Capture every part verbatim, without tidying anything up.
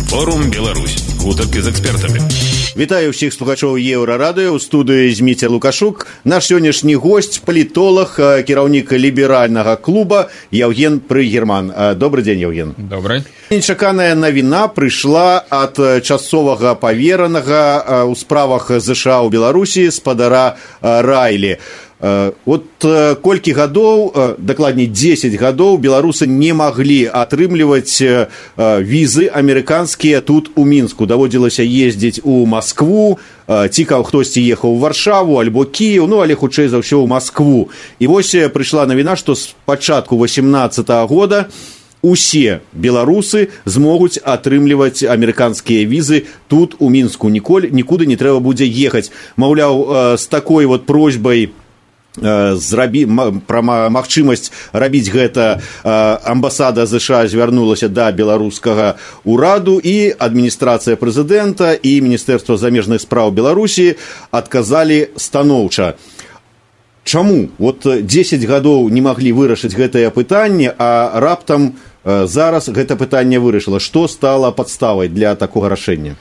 Форум Беларусь. Гутарки з экспертамі. Вітаю ўсіх слухачоў Еўрарадыё. У студыі Зміцер Лукашук. Наш сённяшні госць, палітолог, кіраўнік ліберальнага клуба Яўген Прыгерман. Добрый дзень, Яўген. Добрый. Нечаканая навіна прыйшла ад часовага паверанага ў справах ЗША ў Беларусі спадара Райлі. Вот колькі гадоў, дакладней дзесяць гадоў, беларусы не маглі атрымліваць візы амерыканскія тут у Мінску. Даводзілася ездзіць у Маскву, цікаў хтосьці ехаў у Варшаву альбо Кіеў, ну але хутчэй за ўсё ў Маскву. І вось прыйшла навіна, што з пачатку васемнаццатага года усе беларусы змогуць атрымліваць амерыканскія візы тут у Мінску. Ніколі нікуды не трэба будзе ехаць. Маўляў, з такой вот просьбай зрабі пра магчымасць рабіць гэта амбасада ЗША звярнулася да беларускага ўраду, і адміністрацыя прэзідэнта і Міністэрства замежных спраў Беларусі адказалі станоўча. Чаму? Вот дзесяць гадоў не маглі вырашыць гэтае пытанне, а раптам зараз гэта пытанне вырашыла. Што стала падставай для такога рашэння?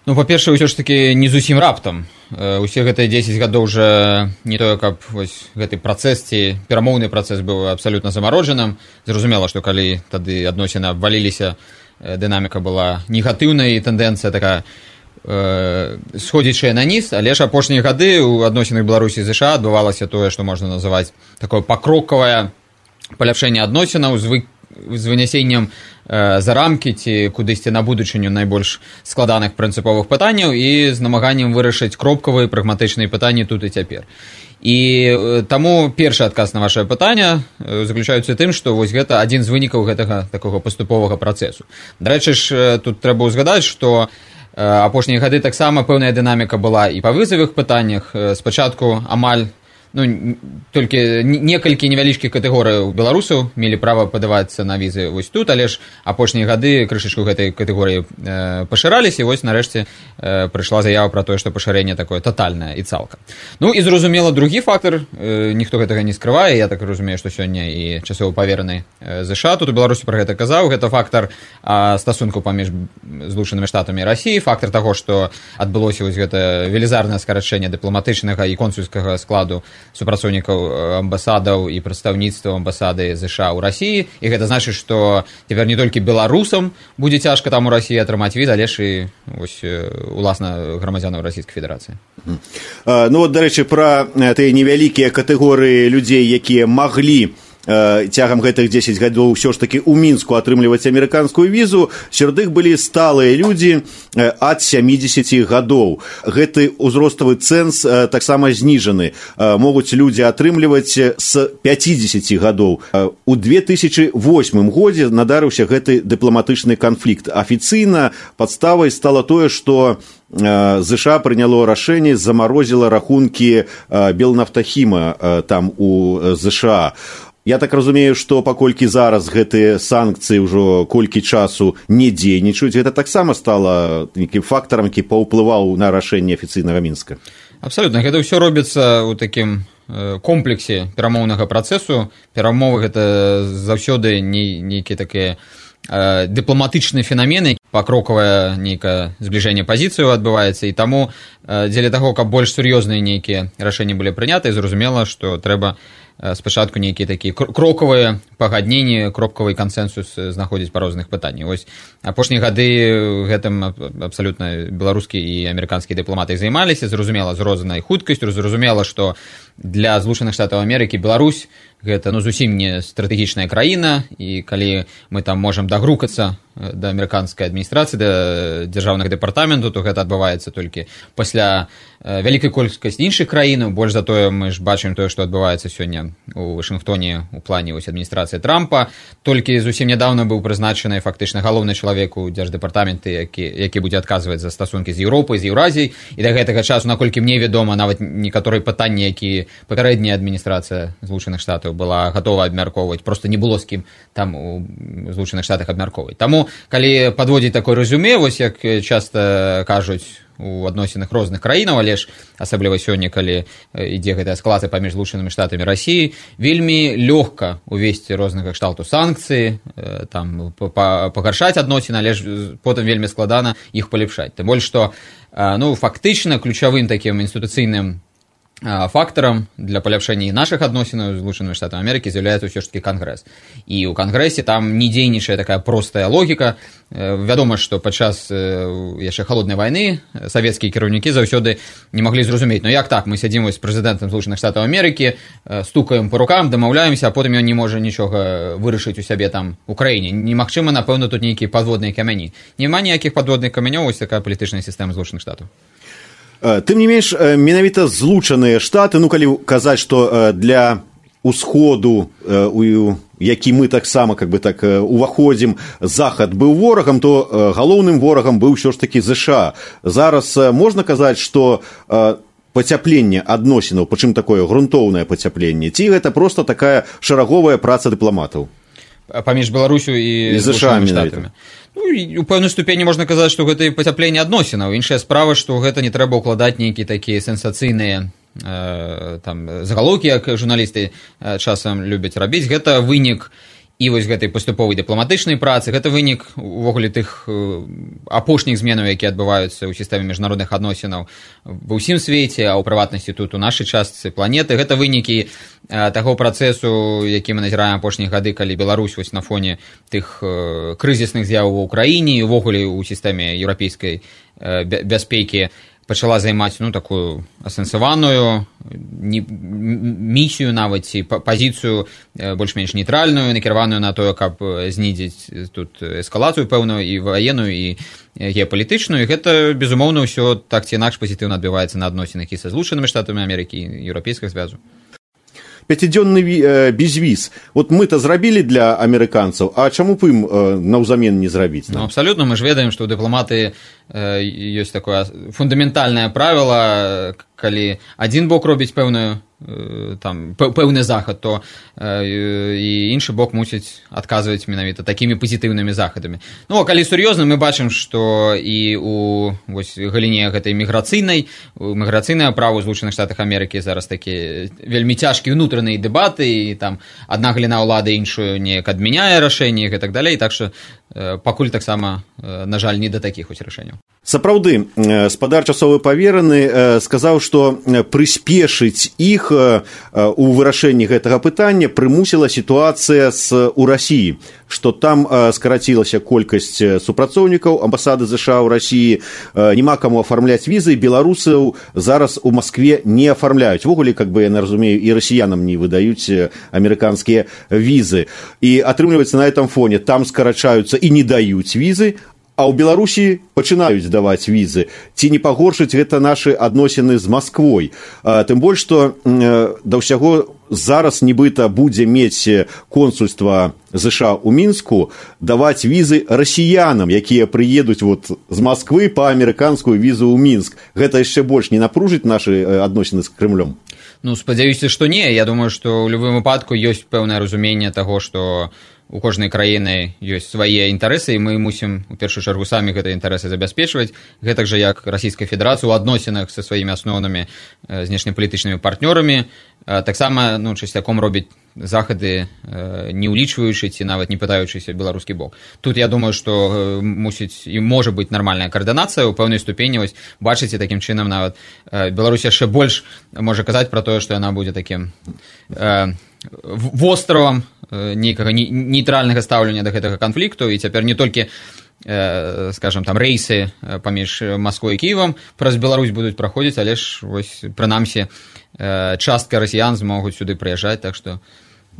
Ну, па-першае, ўсё ж такі не зусім раптам. Усе гэтыя дзесяць гадоў уже не тое, каб вось гэты працэс ці перамоўны працэс быў абсалютна замароджаным. Зразумела, што калі тады адносіны абваліліся, дынаміка была негатыўнай, і тэндэнцыя такая э, сходзячая на ніз, але ж апошнія гады ў адносінах Беларусі і ЗША адбывалася тое, што можна называць такое пакрокавае паляпшэнне адносінаў з, вы, з вынясеннем за рамкі ці кудысьці на будучыню найбольш складаных прынцыповых пытанняў і з намаганнем вырашыць кропкавыя прагматычныя пытанні тут і цяпер. І таму першы адказ на вашае пытанне заключаецца тым, што вось гэта адзін з вынікаў гэтага такога паступовага працэсу. Дарэчы ж, тут трэба ўзгадаць, што апошнія гады таксама пэўная дынаміка была і па вызавых пытаннях. Спачатку амаль ну, толькі некалькі невялічкіх катэгорыяў беларусаў мелі права падавацца на візы вось тут, але ж апошнія гады крышачку гэтай катэгорыі э, пашыраліся, і вось нарэшце э, прыйшла заява пра тое, што пашырэнне такое татальнае і цалкам. Ну і зразумела, другі фактар, э, ніхто гэтага не скрывае, я так разумею, што сёння і часова павераны э, ЗША тут у Беларусі пра гэта казаў, гэта фактар э, стасункаў паміж Злучанымі Штатамі і Расіяй, фактар таго, што адбылося вось гэта велізарнае скарачэнне дыпламатычнага і консульскага складу супрацоўнікаў амбасадаў і прадстаўніцтва амбасады ЗША ў Расіі, і гэта значыць, што цяпер не толькі беларусам будзе цяжка там у Расіі атрымаць віз, але ж і вось уласна грамадзянаў Расійскай Федэрацыі. Ну вот, дарэчы, пра тыя невялікія катэгорыі людзей, якія маглі цягам гэтых дзесяць гадоў ўсё ж такі ў Мінску атрымліваць амерыканскую візу, сярод іх былі сталыя людзі ад сямідзесяці гадоў. Гэты ўзроставы цэнз таксама зніжаны. Могуць людзі атрымліваць з пяцідзесяці гадоў. У две тысячы восьмым годзе надарыўся гэты дыпламатычны канфлікт. Афіцыйна падставай стала тое, што ЗША прыняло рашэнне, замарозіла рахункі Белнафтахіма там у ЗША. Я так разумею, што паколькі зараз гэтыя санкцыі ўжо колькі часу не дзейнічаюць, гэта таксама стала нейкім фактарам, які паўплываў на рашэнне афіцыйнага Мінска. Абсалютна, гэта ўсё робіцца ў такім комплексе перамоўнага працэсу. Перамовы гэта заўсёды нейкія такія дыпламатычныя фенамены, пакрокавае нейкае збліжэнне пазіцыяў адбываецца, і таму дзеля таго, каб больш сур'ёзныя нейкія рашэнні былі прыняты, зразумела, што трэба спачатку нейкія такія крокавыя пагадненні, кропкавы кансэнсус знаходзіць па розных пытаннях. Вось апошнія гады гэтым абсалютна беларускі і амерыканскія дыпламаты займаліся, зразумела, з рознай хуткасцю, зразумела, што для Злучаных Штатаў Амерыкі Беларусь гэта ну зусім не стратэгічная краіна, і калі мы там можам дагрукацца да амерыканскай адміністрацыі, да дзяржаўных дэпартаменту, то гэта адбываецца толькі пасля вялікай колькасці іншых краінаў. Больш за тое, мы ж бачым тое, што адбываецца сёння у Вашынгтоне у плане вось адміністрацыі Трампа. Толькі зусім нядаўна быў прызначаны фактычна галоўны чалавек у дзярждэпартаменты, які, які будзе адказваць за стасункі з Еўропай, з Еўразіяй, і да гэтага часу, наколькі мне вядома, нават некаторыя пытанні, які папярэдняя адміністрацыя Злучаных Штатаў была гатова абмяркоўваць, проста не было з кім там у Злучаных Штатах абмяркоўваць. Таму, калі падводзіць такое рэзюме, вось як часта кажуць у адносінах розных краінаў, але ж асабліва сёння, калі ідзе гэтая эскалацыя паміж Злучанымі Штатамі і Расіяй, вельмі лёгка увесці рознага кшталту санкцыі, там пагаршаць адносіны, але ж потым вельмі складана іх палепшаць. Тым больш што ну фактычна ключавым такім інстытуцыйным фактарам для паляпшэння нашых адносінаў з Злучанымі Штатамі Амерыкі з'яўляецца ўсё ж такі Кангрэс. І ў Кангрэсе там не дзейнічае такая простая логіка. Вядома, што падчас яшчэ халоднай вайны савецкія кіраўнікі заўсёды не маглі зразумець, ну як так, мы сядзім з прэзідэнтам Злучаных Штатаў Амерыкі, стукаем па рукам, дамаўляемся, а потым ён не можа нічога вырашыць у сябе там у краіне. Немагчыма, напэўна, тут нейкія падводныя камяні. Няма ніякіх падводных камянёў, вось такая палітычная сістэма Злучаных Штатаў. Тым не менш, менавіта Злучаныя Штаты, ну калі казаць, што для усходу, у які мы таксама как бы так уваходзім, захад быў ворагам, то галоўным ворагам быў ўсё ж такі ЗША. Зараз можна казаць, што пацяпленне адносінаў, прычым такое грунтоўнае пацяпленне, ці гэта проста такая шараговая праца дыпламатаў? Паміж Беларусю і Злучанымі Штатамі. Ну, у пэўнай ступені можна казаць, што гэта і пацяпленне адносінаў. Іншая справа, што гэта не трэба ўкладаць нейкія такія сенсацыйныя э, там загалоўкі, як журналісты э, часам любяць рабіць. Гэта вынік і вось гэтай паступовай дыпламатычнай працы, гэта вынік увогуле тых э, апошніх зменаў, якія адбываюцца ў сістэме міжнародных адносінаў ва ўсім свеце, а ў прыватнасці тут у нашай частцы планеты. Гэта вынікі э, таго працэсу, які мы назіраем апошнія гады, калі Беларусь вось на фоне тых э, крызісных з'яваў у краіне і увогуле ў сістэме еўрапейскай э, бяспекі пачала займаць ну такую асэнсаваную місію нават ці пазіцыю больш-менш нейтральную, накіраваную на тое, каб знізіць тут эскалацыю пэўную і ваенную і геапалітычную. І гэта безумоўна ўсё так ці інакш пазітыўна адбіваецца на адносінах і са Злучанымі Штатамі Амерыкі і еўрапейскага звязу. Пяцідзённы безвіз. Вот мы-то зрабілі для амерыканцаў, а чаму б ім наўзамен не зрабіць? Ну, абсалютна, мы ж ведаем, што ў дыпламаты ёсць такое фундаментальнае правіла, калі адзін бок робіць пэўную там пэўны захад, то і іншы бок мусіць адказваць менавіта такімі пазітыўнымі захадамі. Ну, а калі сур'ёзна, мы бачым, што і у вось галіне гэтай міграцыйнай, міграцыйнае права ў Злучаных Штатах Амерыкі зараз такі вельмі цяжкія ўнутраныя дэбаты, і там адна галіна ўлады іншую неяк адмяняе рашэнні і так далей, так што пакуль таксама, на жаль, не да такіх вось рашэнняў. Сапраўды, спадар часовы павераны сказаў, што прыспешыць іх у вырашэнні гэтага пытання прымусіла сітуацыя з у Расіі, што там скарацілася колькасць супрацоўнікаў амбасады ЗША ў Расіі, няма каму афармляць візы, беларусаў зараз у Маскве не афармляюць. Ввогуле, как бы я не разумею, і расіянам не выдаюць амерыканскія візы. І атрымліваецца на этом фоне, там скарачаюцца і не даюць візы, а ў Беларусі пачынаюць даваць візы. Ці не пагоршыць гэта нашы адносіны з Масквой? Тым больш, што да ўсяго зараз нібыта будзе мець консульства ЗША ў Мінску даваць візы расіянам, якія прыедуць вот з Масквы па амерыканскую візу ў Мінск. Гэта яшчэ больш не напружыць нашы адносіны з Крымлём? Ну, спадзяюся, што не. Я думаю, што ў любым выпадку ёсць пэўнае разуменне таго, што у кожнай краіны ёсць свае інтарэсы, і мы мусім у першую чаргу самі гэтыя інтарэсы забяспечваць, гэтак жа як Расійская Федэрацыя ў адносінах са сваімі асноўнымі знешнепалітычнымі партнёрамі таксама ну, часцяком робіць захады, не ўлічваючы ці нават не пытаючыся беларускі бок. Тут я думаю, што мусіць і можа быць нармальная каардынацыя ў пэўнай ступені. Вось бачыце, такім чынам нават Беларусь яшчэ больш можа казаць пра тое, што яна будзе такім э, востравам нейкага нейтральнага стаўлення да гэтага канфлікту, і цяпер не толькі э, скажем там рэйсы паміж Масквой і Кіевам праз Беларусь будуць праходзіць, але ж вось прынамсі э, частка расіян змогуць сюды прыязджаць, так што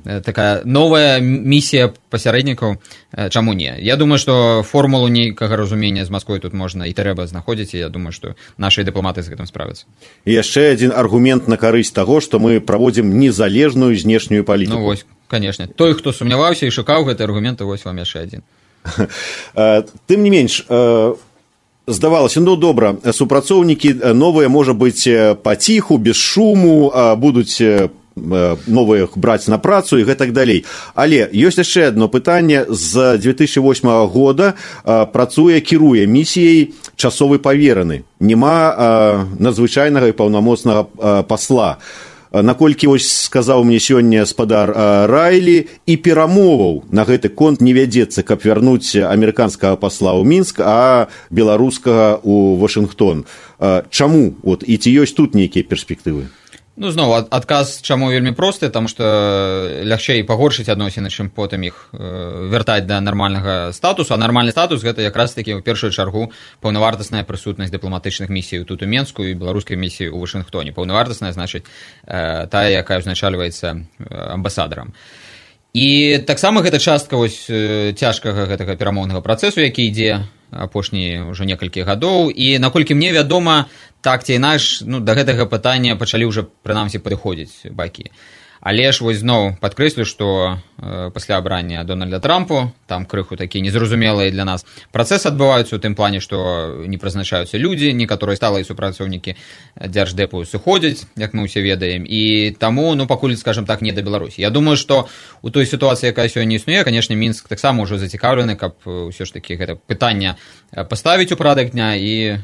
э, такая новая місія пасярэднікаў, э, чаму не? Я думаю, што формулу нейкага разумення з Масквой тут можна і трэба знаходзіць, і я думаю, што нашы дыпламаты з гэтым справяцца. І яшчэ адзін аргумент на карысць таго, што мы праводзім незалежную знешнюю палітыку. Ну вось, конечно. Той, хто сумняваўся і шукаў гэты аргумент, вось вам яшчэ адзін. Тым не менш, здавалася, ну добра, супрацоўнікі новыя, можа быць, паціху, без шуму, будуць новых браць на працу і гэтак далей. Але ёсць яшчэ одно пытанне. З две тысячи восьмага года працуе, кіруе місіяй часовы павераны, няма надзвычайнага і паўнамоцнага пасла. Наколькі вось сказаў мне сёння спадар Райлі, і перамоваў на гэты конт не вядзецца, каб вярнуць амерыканскага пасла ў Мінск, а беларускага ў Вашынгтон. Чаму? От, і ці ёсць тут нейкія перспектывы? Ну, зноў, адказ чаму вельмі просты, таму што лягчэй пагоршыць адносіны, чым потым іх вяртаць да нармальнага статусу, а нармальны статус гэта якраз такі ў першую чаргу паўнавартасная прысутнасць дыпламатычных місій тут у Менску і беларускай місіі ў Вашынгтоне. Паўнавартасная, значыць, тая, якая ўзначальваецца амбасадарам. І таксама гэта частка вось цяжкага гэтага перамоўнага працэсу, які ідзе апошнія ўжо некалькі гадоў, і наколькі мне вядома, так ці інакш, ну, да гэтага пытання пачалі ўжо прынамсі падыходзіць бакі. Але ж вось зноў падкрэслю, што э, пасля абрання Дональда Трампу, там крыху такія незразумелыя для нас працэсы адбываюцца ў тым плане, што не прызначаюцца людзі, некаторыя сталыя супрацоўнікі дзярждэпу сыходзяць, як мы ўсе ведаем, і таму, ну, пакуль, скажем так, не да Беларусі. Я думаю, што у той сітуацыі, якая сёння існуе, канешне, Мінск таксама ўжо зацікаўлены, каб ўсё ж такі гэта пытанне паставіць у парадак дня і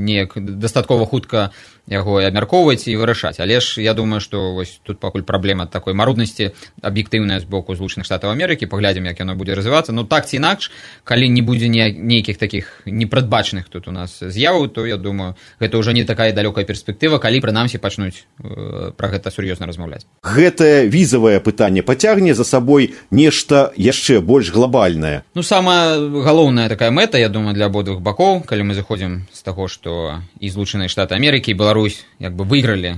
неяк дастаткова хутка яго абмяркоўваць і вырашаць. Але ж я думаю, што вось тут пакуль праблема такой маруднасці аб'ектыўная з боку Злучаных Штатаў Амерыкі, паглядзім, як яно будзе развівацца. Ну, так ці інакш, калі не будзе нейкіх такіх непрадбачаных тут у нас з'яваў, то, я думаю, гэта ўжо не такая далёкая перспектыва, калі прынамсі пачнуць э, пра гэта сур'ёзна размаўляць. Гэтае візавае пытанне пацягне за сабой нешта яшчэ больш глобальнае. Ну, самая галоўная такая мэта, я думаю, для абодвух бакоў, калі мы заходзім з таго, што і Злучаныя Штаты Амерыкі, і Беларусь як бы выйгралі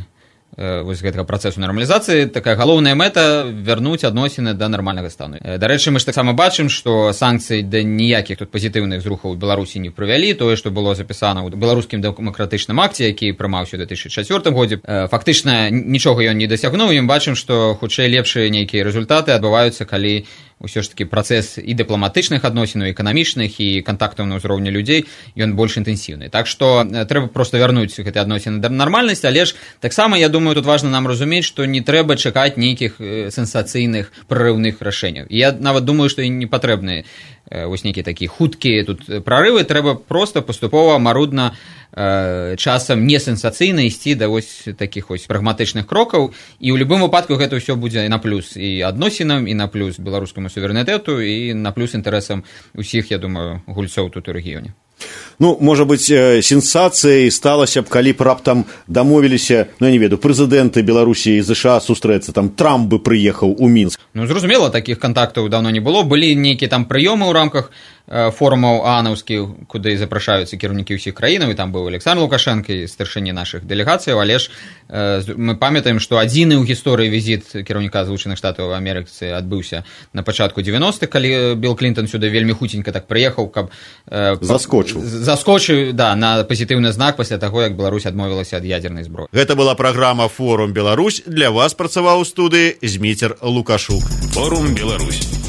э, вось гэтага працэсу нармалізацыі, такая галоўная мэта вярнуць адносіны да нармальнага стану. Э, дарэчы, мы ж таксама бачым, што санкцыі да ніякіх тут пазітыўных зрухаў у Беларусі не прывялі. Тое, што было запісана ў беларускім дэмакратычным акце, які прымаўся ў две тысячы чацвёртым годзе, э, фактычна нічога ён не дасягнуў, і мы бачым, што хутчэй лепшыя нейкія рэзультаты адбываюцца, калі ўсё ж такі працэс і дыпламатычных адносінаў, і эканамічных, і кантактаў на ўзроўні людзей, ён больш інтэнсіўны. Так што трэба проста вярнуць гэты адносіны да нармальнасці, але ж таксама, я думаю, тут важна нам разумець, што не трэба чакаць нейкіх сенсацыйных прарыўных рашэнняў. Я нават думаю, што і не патрэбны вось нейкія такія хуткія тут прарывы, трэба проста паступова, марудна, часам не сенсацыйна ісці да вось такіх вось прагматычных крокаў, і ў любым выпадку гэта ўсё будзе на плюс і адносінам, і на плюс беларускаму суверэнітэту, і на плюс інтарэсам усіх, я думаю, гульцоў тут у рэгіёне. Ну, можа быць, сенсацыяй сталася б, калі б раптам дамовіліся, ну, я не ведаю, прэзідэнты Беларусі і ЗША сустрэцца, там Трамп бы прыехаў у Мінск. Ну, зразумела, такіх кантактаў даўно не было. Былі нейкія там прыёмы ў рамках форумаў аанаўскіх, куды запрашаюцца кіраўнікі ўсіх краінаў, і там быў Александр Лукашенко і старшыні нашых дэлегацыяў, але ж э, мы памятаем, што адзіны ў гісторыі візіт кіраўніка Злучаных Штатаў Амерыкі адбыўся на пачатку дзевяностых, калі Білл Клінтон сюды вельмі хуценька так прыехаў, каб э, заскочыў. Заскочыў, да, на пазітыўны знак пасля таго, як Беларусь адмовілася ад ядзернай зброі. Гэта была праграма «Форум Беларусь». Для вас працаваў у студыі Зміцер Лукашук. Форум Беларусь.